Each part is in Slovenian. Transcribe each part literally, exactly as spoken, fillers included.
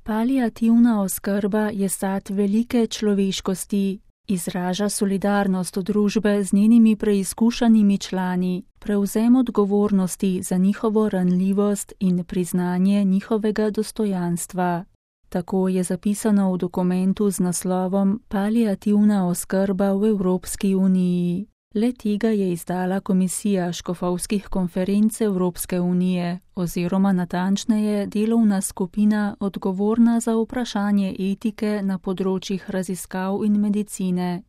Paliativna oskrba je sad velike človeškosti, izraža solidarnost družbe z njenimi preizkušanimi člani, prevzem odgovornosti za njihovo ranljivost in priznanje njihovega dostojanstva. Tako je zapisano v dokumentu z naslovom Paliativna oskrba v Evropski uniji. Le tega je izdala Komisija škofovskih konferenc Evropske unije oziroma natančneje delovna skupina odgovorna za vprašanje etike na področjih raziskav in medicine.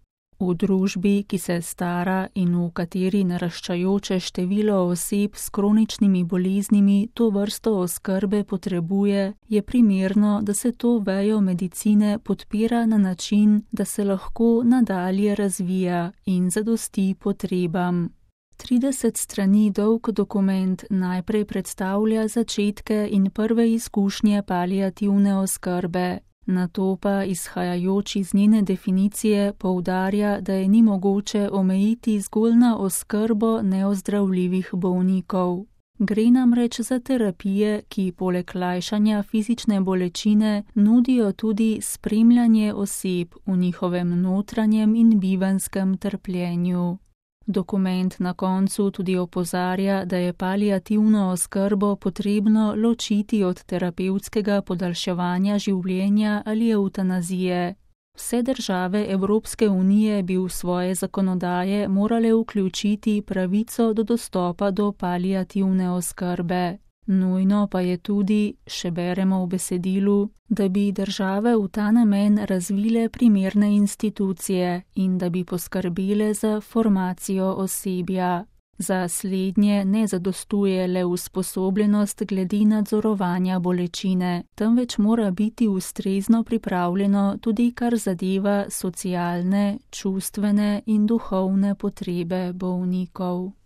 V družbi, ki se stara in v kateri naraščajoče število oseb s kroničnimi boleznimi to vrsto oskrbe potrebuje, je primerno, da se to vejo medicine podpira na način, da se lahko nadalje razvija in zadosti potrebam. trideset strani dolg dokument najprej predstavlja začetke in prve izkušnje paliativne oskrbe. Nato pa, izhajajoč iz njene definicije, poudarja, da je ni mogoče omejiti zgolj na oskrbo neozdravljivih bolnikov. Gre namreč za terapije, ki poleg lajšanja fizične bolečine nudijo tudi spremljanje oseb v njihovem notranjem in bivanskem trpljenju. Dokument na koncu tudi opozarja, da je paliativno oskrbo potrebno ločiti od terapevtskega podaljševanja življenja ali evtanazije. Vse države Evropske unije bi v svoje zakonodaje morale vključiti pravico do dostopa do paliativne oskrbe. Nujno pa je tudi, še beremo v besedilu, da bi države v ta namen razvile primerne institucije in da bi poskrbele za formacijo osebja. Za slednje ne zadostuje le usposobljenost glede nadzorovanja bolečine, temveč mora biti ustrezno pripravljeno tudi kar zadeva socialne, čustvene in duhovne potrebe bolnikov.